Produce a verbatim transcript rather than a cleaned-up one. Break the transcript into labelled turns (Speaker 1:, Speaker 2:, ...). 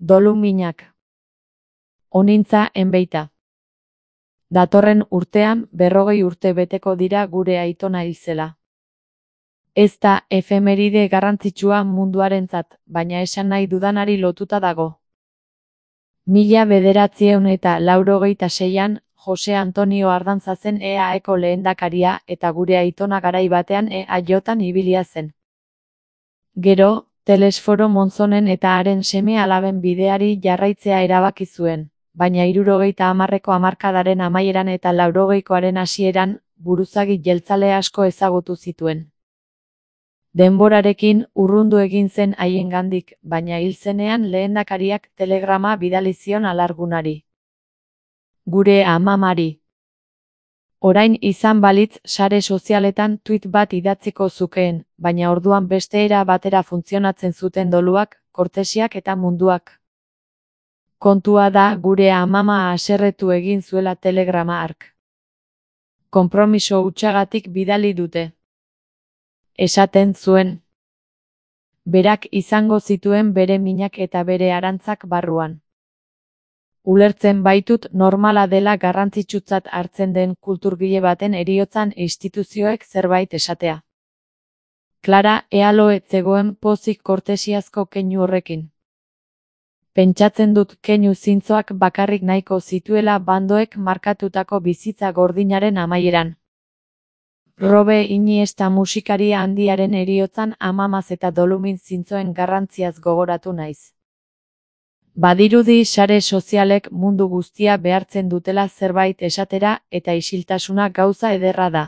Speaker 1: Doluminak. Onintza enbeita. Datorren urtean berrogei urte beteko dira gure aitona hil zela. Ez da efemeride garrantzitsua munduarentzat, baina esan nahi dudanari lotuta dago. Mila bederatziehun eta laurogeita seian, Jose Antonio Ardanza zen E A Eko lehendakaria eta gure aitona garai batean E A Jotan ibilia zen. Gero, Telesforo Monzonen eta haren seme-alaben bideari jarraitzea erabaki zuen, baina hirurogeita hamarreko hamarkadaren amaieran eta laurogeikoaren hasieran, buruzagi jeltzale asko ezagutu zituen. Denborarekin urrundu egin zen haiengandik, baina hil zenean lehendakariak telegrama bidali zion alargunari. Gure amamari. Orain izan balitz sare sozialetan tweet bat idatziko zukeen, baina orduan beste era batera funtzionatzen zuten doluak, kortesiak eta munduak. Kontua da gure amama haserretu egin zuela telegrama hark. Konpromiso hutsagatik bidali dute. Esaten zuen. Berak izango zituen bere minak eta bere arantzak barruan. Ulertzen baitut normala dela garrantzitsutzat hartzen den kulturgile baten heriotzan instituzioek zerbait esatea. Clara Ealo ez zegoen pozik kortesiazko keinu horrekin. Pentsatzen dut keinu zintzoak bakarrik nahiko zituela bandoek markatutako bizitza gordinaren amaieran. Robe Iniesta musikaria handiaren heriotzan amamaz eta dolumin zintzoen garrantziaz gogoratu naiz. Badirudi sare sozialek mundu guztia behartzen dutela zerbait esatera eta isiltasuna gauza ederra da.